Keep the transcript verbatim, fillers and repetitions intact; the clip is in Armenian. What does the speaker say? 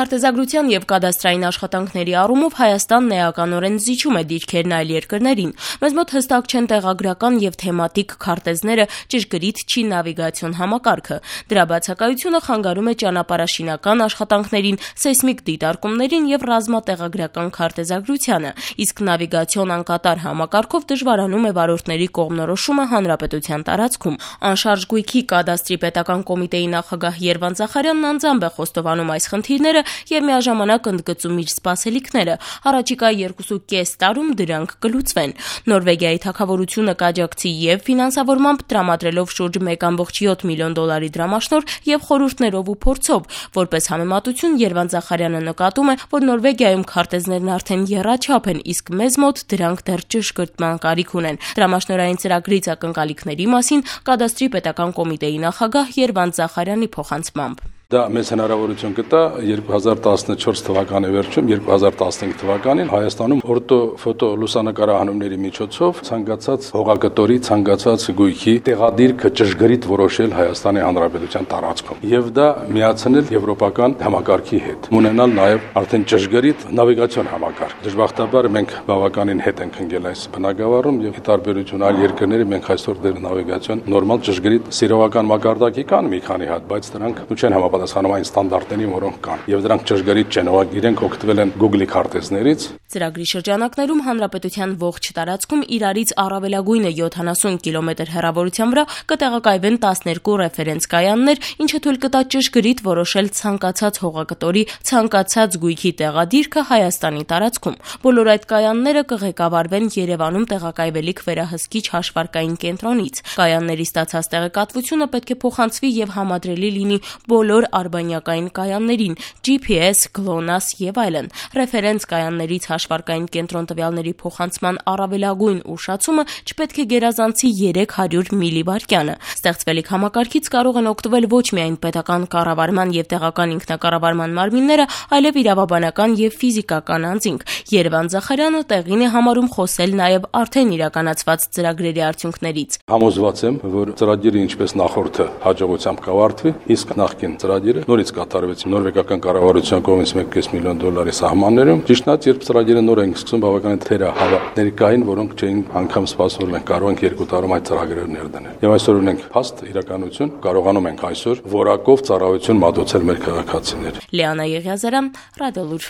Քարտեզագրության եւ կադաստրային աշխատանքների առումով Հայաստանն էականորեն զիջում է դիրքերն այլ երկրներին։ Մեզ մոտ հստակ չեն տեղագրական եւ թեմատիկ քարտեզները, ճշգրիտ չի նավիգացիոն համակարգը։ Դրա բացակայությունը խանգարում է ճանապարհաշինական աշխատանքներին, սեյսմիկ դիտարկումներին եւ ռազմատեղագրական քարտեզագրությանը, իսկ նավիգացիոն անկատար համակարգով դժվարանում է վարորդների կողմնորոշումը հանրապետության տարածքում։ Անշարժ գույքի կադաստրի պետական կոմիտեի նախագահ Երվանդ Զախարյանն անձամբ է խոստովանում այս խնդիրները եւ միաժամանակ ընդգծում իր սպասելիքները։ Առաջիկա երկուսուկես տարում դրանք կլուծվեն։ Նորվեգիայի թագավորությունը կաջակցի եւ ֆինանսավորմամբ տրամադրելով շուրջ մեկ կόμկոմ յոթ միլիոն դոլարի դրամաշնորհ եւ խորհուրդներով ու փորձով։ Որպես համեմատություն Երվանդ Զախարյանը նկատում է, որ Նորվեգիայում քարտեզներն արդեն եռաչափ են, իսկ մեզ մոտ դրանք դեռ ճշգրտման կարիք ունեն։ Դրամաշնորհային ծրագրից ակնկալիքների մասին կադաստրի պետական կոմիտեի նախագահ Երվանդ Զախարյանի փոխանցմամբ. Դա մեզ հնարավորություն կտա երկու հազար տասնչորս թվականի վերջում, երկու հազար տասնհինգ թվականին Հայաստանում օրտոֆոտո լուսանկարահանումների միջոցով ցանկացած հողագտորի, ցանկացած գույքի տեղադիրքը ճշգրիտ որոշել Հայաստանի Հանրապետության տարածքում եւ դա միացնել եվրոպական համակարգի հետ։ Ունենալ նաեւ արդեն ճշգրիտ նավիգացիոն համակարգ։ Դժբախտաբար մենք բավականին հետ ենք ընկել այս բնակավարում եւ ի տարբերություն այլ երկրների մենք այսօր դեռ նավիգացիոն նորմալ ճշգրիտ սիրողական մակարդակի կան մի քանի հատ, բայց դրանք չեն համապատասխանում այն ստանդարտներին, որոնք կան, եւ դրանք ճշգրիտ չեն, ով իրենք օգտվել են Google-ի քարտեզներից։ Ծրագրի շրջանակներում հանրապետության ողջ տարածքում իրարից առավելագույնը յոթանասուն կիլոմետր հեռավորության վրա կտեղակայվեն տասներկու ռեֆերենս կայաններ, ինչը թույլ կտա ճշգրիտ որոշել ցանկացած հողագտորի ցանկացած գույքի տեղադիրքը Հայաստանի տարածքում։ Բոլոր այդ կայանները կղեկավարվեն Երևանում տեղակայվելիք վերահսկիչ հաշվարկային կենտրոնից։ Կայանների ստացած տեղեկատվությունը պետք է փոխանցվի եւ համադրելի լինի բոլոր արբանյակային կայաններին, Ջի Փի Էս, գլոնաս եւ այլն։ Ռեֆերենս կայաններից հաշվարկային կենտրոն տվյալների փոխանցման առավելագույն ուշացումը չպետք է գերազանցի երեք հարյուր միլիվայրկյանը։ Ստեղծվելիք համակարգից կարող են օգտվել ոչ միայն պետական կառավարման եւ տեղական ինքնակառավարման մարմինները, այլև իրավաբանական եւ ֆիզիկական անձինք։ Երվանդ Զախարյանը տեղին է համարում խոսել նաեւ արդեն իրականացված ծրագրերի արդյունքներից։ Համոզված եմ, որ ծրագիրը ինչպես նախորդը հաջողությամբ կավարտվի, իսկ նախկին ծրագիրը նորից կատարվեց նորվեգական կառավարության կողմից մեկ կես միլիոն դոլարի սահմաններում։ Ճիշտն է, երբ ծրագիրը նոր ենք սկսում, բավականին թերահավատներ կային, որոնք չէին անգամ սպասում, որ մենք կարող ենք երկու տարում այդ ծրագրերը ներդնել։ Եվ այսօր ունենք փաստ իրականություն, կարողանում ենք այսօր որակով ծառայություն մատուցել մեր քաղաքացիներին։ Լիանա Եղիազարյան, Ռադիոլուր։